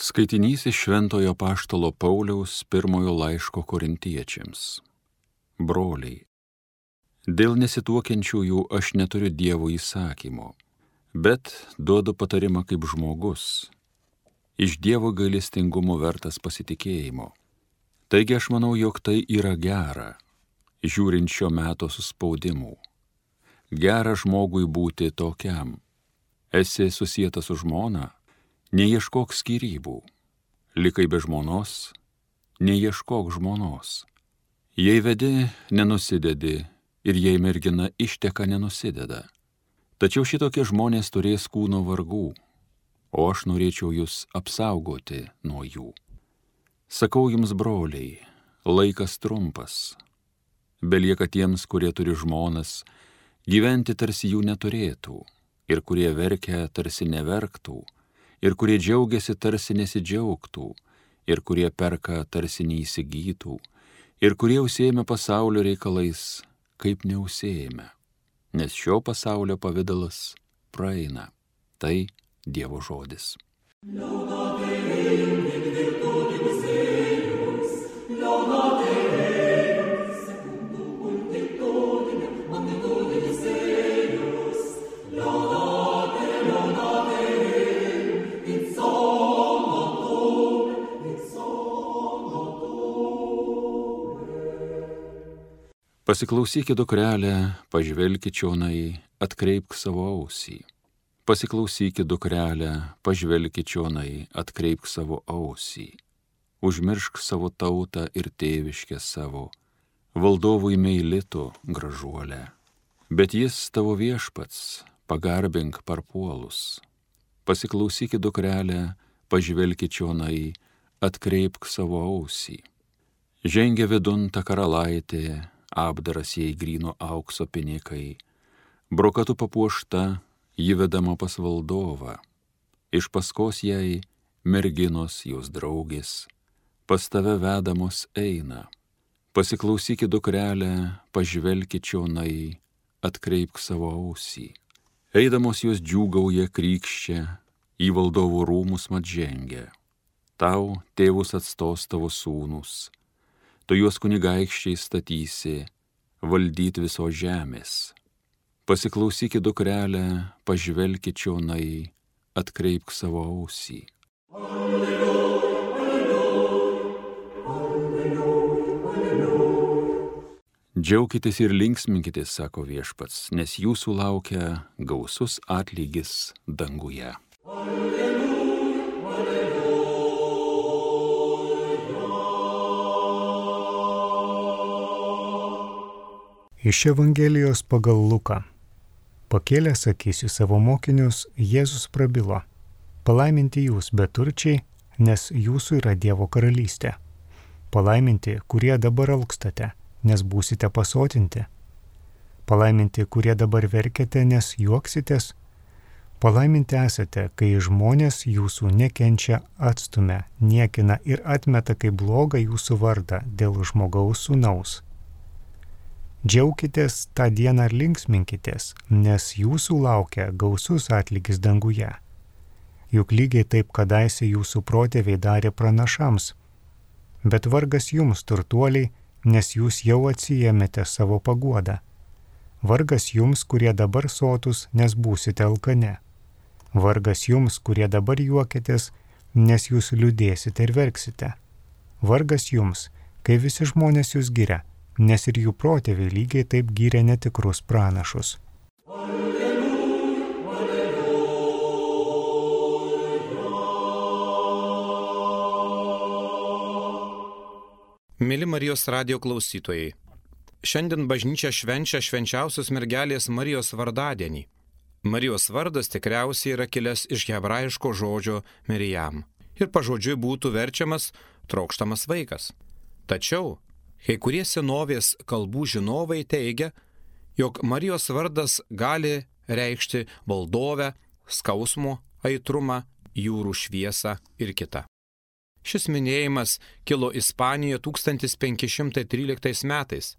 Skaitinys iš Šventojo Apaštalo Pauliaus pirmojo laiško Korintiečiams. Broliai, dėl nesituokiančiųjų aš neturiu Dievo įsakymo, bet duodu patarimą kaip žmogus, iš Dievo gailestingumo vertas pasitikėjimo. Taigi aš manau, jog tai yra gera, žiūrint šio meto suspaudimų. Gera žmogui būti tokiam. Esi susietas su žmona, neieškok skyrybų. Likai be žmonos, neieškok žmonos. Jei vedi, nenusidedi, ir jei mergina išteka, nenusideda. Tačiau šitokie žmonės turės kūno vargų, o aš norėčiau jūs apsaugoti nuo jų. Sakau jums, broliai, laikas trumpas. Belieka tiems, kurie turi žmonas, gyventi tarsi jų neturėtų, ir kurie verkia tarsi neverktų, ir kurie džiaugiasi tarsi nesidžiaugtų, ir kurie perka tarsi neįsigytų, ir kurie užsiėmė pasaulio reikalais, kaip neužsiėmė, nes šio pasaulio pavidalas praeina. Tai Dievo žodis. Pasiklausykit, dukrelė, pažvelkit čionai, atkreipk savo ausį. Pasiklausykit, dukrelė, pažvelkit čionai, atkreipk savo ausį. Užmiršk savo tautą ir tėviškę savo, valdovui meilito gražuolę. Bet jis tavo viešpats, pagarbink parpuolus. Pasiklausykit, dukrelė, pažvelkit čionai, atkreipk savo ausį. Žengia vidun ta karalaitė, apdaras jai gryno aukso pinikai, brokatu papuošta, ji vedama pas valdovą, iš paskos jai merginos jos draugės, pas tave vedamos eina. Pasiklausykit, dukrelė, pažvelkit čionai, atkreipk savo ausį. Eidamos jos džiūgauja krykščia, į valdovų rūmus mat žengia. Tau tėvus atstos tavo sūnus, tu juos kunigaikščiai statysi, valdyt visos žemės. Pasiklausykit, dukrelė, pažvelkit čionai, atkreipk savo ausį. Džiaukitės ir linksminkitės, sako viešpats, nes jūsų laukia gausus atlygis danguje. Iš Evangelijos pagal Luką. Pakėlęs akis į savo mokinius, Jėzus prabilo: palaiminti jūs, beturčiai, nes jūsų yra Dievo karalystė. Palaiminti, kurie dabar alkstate, nes būsite pasotinti. Palaiminti, kurie dabar verkiate, nes juoksitės. Palaiminti esate, kai žmonės jūsų nekenčia, atstumia, niekina ir atmeta kaip blogą jūsų vardą dėl žmogaus sūnaus. Džiaukitės tą dieną ir linksminkitės, nes jūsų laukia gausus atlygis danguje. Juk lygiai taip kadaise jūsų protėviai darė pranašams. Bet vargas jums, turtuoliai, nes jūs jau atsiėmėte savo paguodą. Vargas jums, kurie dabar sotus, nes būsite alkane. Vargas jums, kurie dabar juokitės, nes jūs liūdėsite ir verksite. Vargas jums, kai visi žmonės jūs giria, nes ir jų protėviai lygiai taip gyrė netikrus pranašus. Mėly Marijos radijo klausytojai, šiandien bažnyčia švenčia švenčiausios mergelės Marijos vardadienį. Marijos vardas tikriausiai yra kilęs iš hebrajiško žodžio Mirijam ir pažodžiui būtų verčiamas trokštamas vaikas. Tačiau kai kurie senovės kalbų žinovai teigia, jog Marijos vardas gali reikšti valdovę, skausmo aitrumą, jūrų šviesą ir kitą. Šis minėjimas kilo Ispanijoje 1513 metais.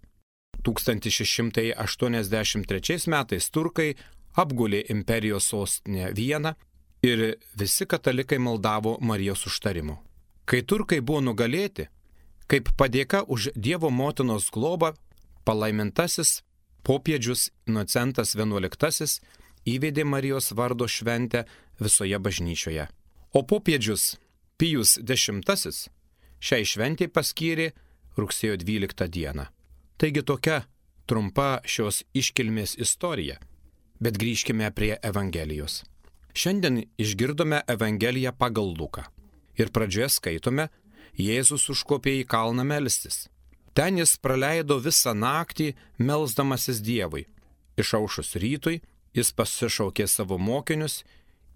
1683 metais turkai apgulė imperijos sostinę Vieną ir visi katalikai maldavo Marijos užtarimo. Kai turkai buvo nugalėti, kaip padėka už Dievo motinos globą, palaimintasis popiežius Inocentas XI įvedė Marijos vardo šventę visoje bažnyčioje. O popiežius Pijus X šiai šventei paskyrė rugsėjo 12 dieną. Taigi tokia trumpa šios iškilmės istorija. Bet grįžkime prie Evangelijos. Šiandien išgirdome Evangeliją pagal Luką. Ir pradžioje skaitome, Jėzus užkopė į kalną melstis. Ten jis praleido visą naktį melsdamasis Dievui. Išaušus rytui, jis pasišaukė savo mokinius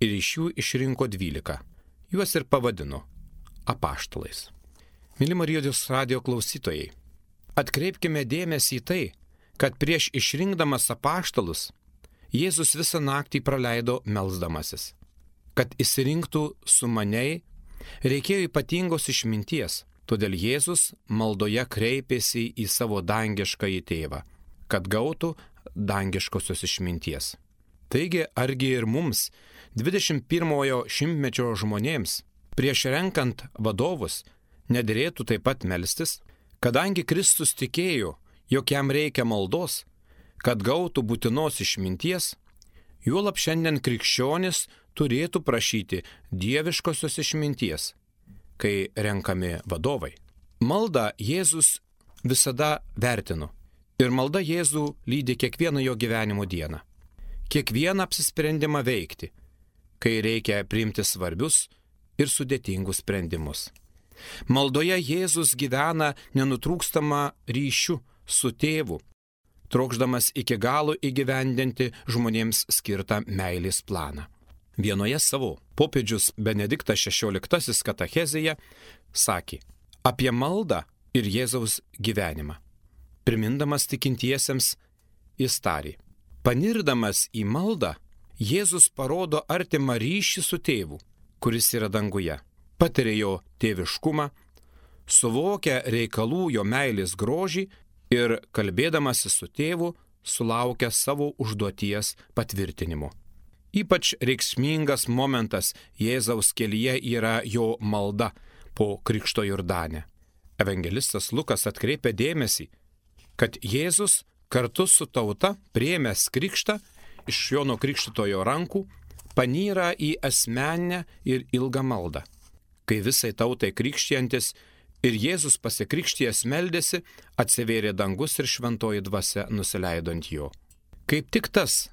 ir iš jų išrinko 12. Juos ir pavadino apaštalais. Myli Marijos radijo klausytojai, atkreipkime dėmesį į tai, kad prieš išrinkdamas apaštalus, Jėzus visą naktį praleido melsdamasis. Kad išsirinktų sumaniai, reikėjo ypatingos išminties, todėl Jėzus maldoje kreipėsi į savo dangiškąjį tėvą, kad gautų dangiškosios išminties. Taigi, argi ir mums, 21-ojo šimtmečio žmonėms, prieš renkant vadovus, nederėtų taip pat melstis, kadangi Kristus tikėjo, jog jam reikia maldos, kad gautų būtinos išminties, juolab šiandien krikščionis turėtų prašyti dieviškosios išminties, kai renkami vadovai. Maldą Jėzus visada vertino ir malda Jėzų lydi kiekvieną jo gyvenimo dieną. Kiekvieną apsisprendimą veikti, kai reikia priimti svarbius ir sudėtingus sprendimus. Maldoje Jėzus gyvena nenutrūkstamą ryšių su tėvu, trokšdamas iki galo įgyvendinti žmonėms skirtą meilės planą. Vienoje savo popiežius Benediktas XVI katechezėje sakė apie maldą ir Jėzaus gyvenimą. Primindamas tikintiesiems, jis tarė: panirdamas į maldą, Jėzus parodo artimą ryšį su tėvu, kuris yra danguje, patiria jo tėviškumą, suvokia reikalų jo meilės grožį ir kalbėdamasis su tėvu sulaukia savo užduoties patvirtinimo. Ypač reikšmingas momentas Jėzaus kelyje yra jo malda po Krikšto Jordane. Evangelistas Lukas atkreipia dėmesį, kad Jėzus kartu su tauta priėmęs krikštą iš Jono Krikštytojo rankų panyra į asmeninę ir ilgą maldą. Kai visai tautai krikštijantis ir Jėzus pasikrikštijęs meldėsi, atsivėrė dangus ir šventoji dvasia nusileido ant jo. Kaip tik tas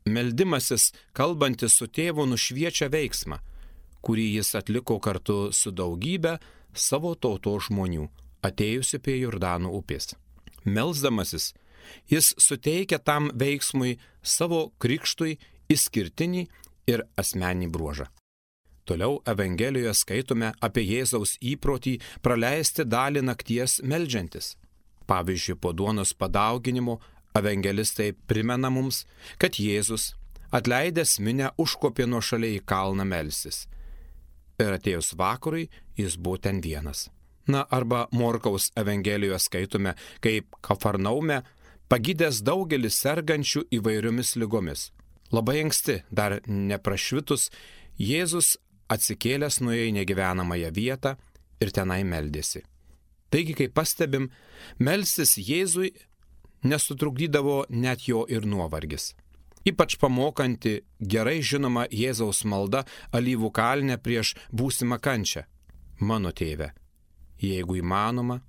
meldimasis, kalbantis su tėvu, nušviečia veiksmą, kurį jis atliko kartu su daugybė savo tautos žmonių, atėjusi prie Jordano upės. Melsdamasis, jis suteikia tam veiksmui savo krikštui išskirtinį ir asmeninį bruožą. Toliau Evangelijoje skaitome apie Jėzaus įprotį praleisti dalį nakties meldžiantis. Pavyzdžiui, po duonos padauginimo evangelistai primena mums, kad Jėzus, atleidęs minią, užkopė nuošaliai į kalną melstis. Ir atėjus vakarui, jis buvo ten vienas. Arba Morkaus Evangelijoje skaitome, kaip Kafarnaume pagydęs daugelis sergančių įvairiomis ligomis. Labai anksti, dar neprašvitus, Jėzus atsikėlęs nuėjo į negyvenamąją vietą ir tenai meldėsi. Taigi, kaip pastebim, melstis Jėzui nesutrukdydavo net jo ir nuovargis. Ypač pamokanti gerai žinoma Jėzaus malda Alyvų kalne prieš būsimą kančią. Mano tėve, jeigu įmanoma,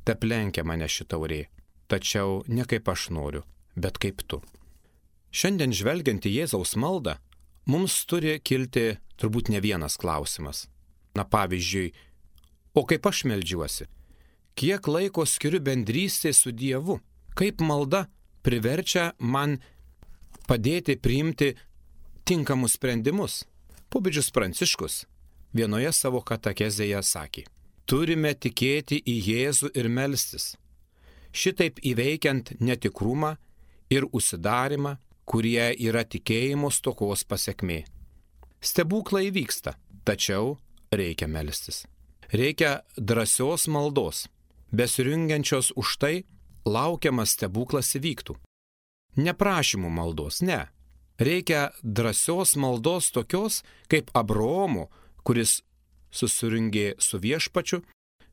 teplenkia mane ši taurė, tačiau ne kaip aš noriu, bet kaip tu. Šiandien žvelgiant į Jėzaus maldą, mums turi kilti turbūt ne vienas klausimas. Pavyzdžiui, o kaip aš meldžiuosi? Kiek laiko skiriu bendrystė su Dievu? Kaip malda priverčia man padėti priimti tinkamus sprendimus? Popiežius Pranciškus vienoje savo katechezėje sakė: turime tikėti į Jėzų ir melstis, šitaip įveikiant netikrumą ir užsidarimą, kurie yra tikėjimo stokos pasekmė. Stebuklai vyksta, tačiau reikia melstis. Reikia drąsios maldos, besirungiančios už tai, laukiamas stebuklas įvyktų. Ne prašymų maldos, ne, Reikia drąsios maldos tokios kaip Abraomo, kuris susirinkė su viešpačiu,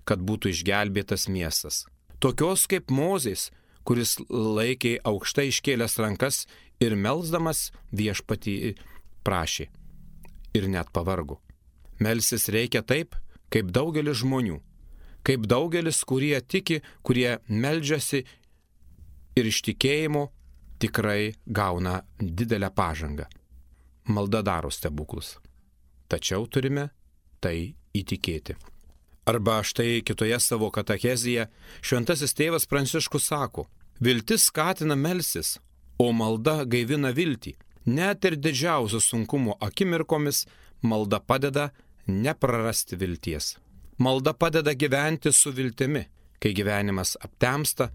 kad būtų išgelbėtas miestas. Tokios kaip Mozės, kuris laikė aukštai iškėlęs rankas ir melsdamas viešpatį prašė. Ir net pavargo. Melsis reikia taip, kaip daugelis žmonių. Kaip daugelis, kurie tiki, kurie meldžiasi ir iš tikėjimo tikrai gauna didelę pažangą. Malda daro stebuklus. Tačiau turime tai įtikėti. Arba štai kitoje savo katechezėje šventasis tėvas Pranciškus sako, viltis skatina melsis, o malda gaivina viltį. Net ir didžiausių sunkumų akimirkomis malda padeda neprarasti vilties. Malda padeda gyventi su viltimi. Kai gyvenimas aptemsta,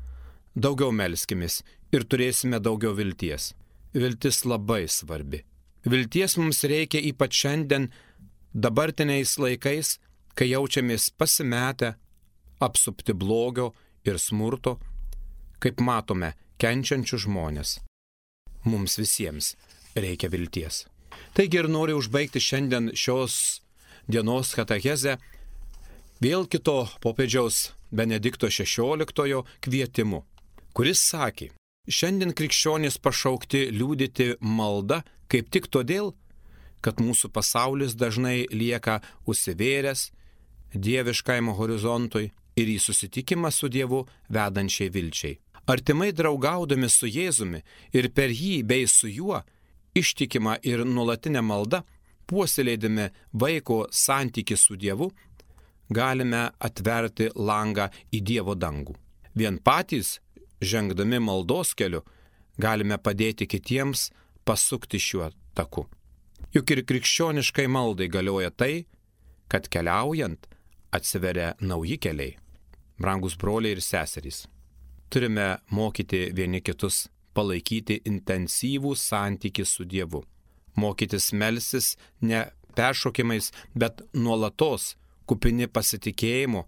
daugiau melskimės ir turėsime daugiau vilties. Viltis labai svarbi. Vilties mums reikia ypač šiandien, dabartiniais laikais, kai jaučiamės pasimetę, apsupti blogio ir smurto, kaip matome kenčiančių žmonės. Mums visiems reikia vilties. Taigi ir noriu užbaigti šiandien šios dienos katechezę vėl kito popiežiaus Benedikto XVI kvietimu, kuris sakė, šiandien krikščionys pašaukti liudyti maldą kaip tik todėl, kad mūsų pasaulis dažnai lieka užsivėręs dieviškajam horizontui ir į susitikimą su Dievu vedančiai vilčiai. Artimai draugaudami su Jėzumi ir per jį bei su juo ištikimą ir nuolatinę maldą, puoselėdami vaiko santykį su Dievu, galime atverti langą į Dievo dangų. Vien patys, žengdami maldos keliu, galime padėti kitiems pasukti šiuo taku. Juk ir krikščioniškai maldai galioja tai, kad keliaujant atsiveria nauji keliai. Brangus broliai ir seserys, turime mokyti vieni kitus palaikyti intensyvų santykį su Dievu. Mokytis melsis ne peršokimais, bet nuolatos kupini pasitikėjimo,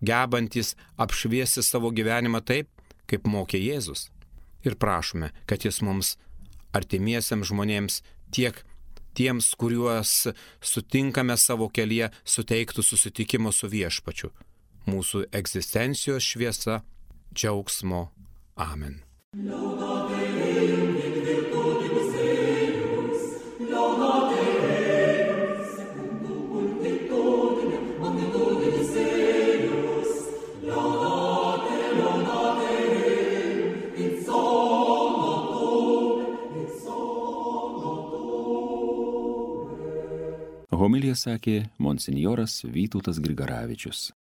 gebantis apšviesti savo gyvenimą taip, kaip mokė Jėzus. Ir prašome, kad Jis mums artimiesiems žmonėms, tiek tiems, kuriuos sutinkame savo kelyje, suteiktų susitikimo su viešpačiu. Mūsų egzistencijos šviesa, džiaugsmo. Amen. Homiliją sakė monsinjoras Vytautas Grigaravičius.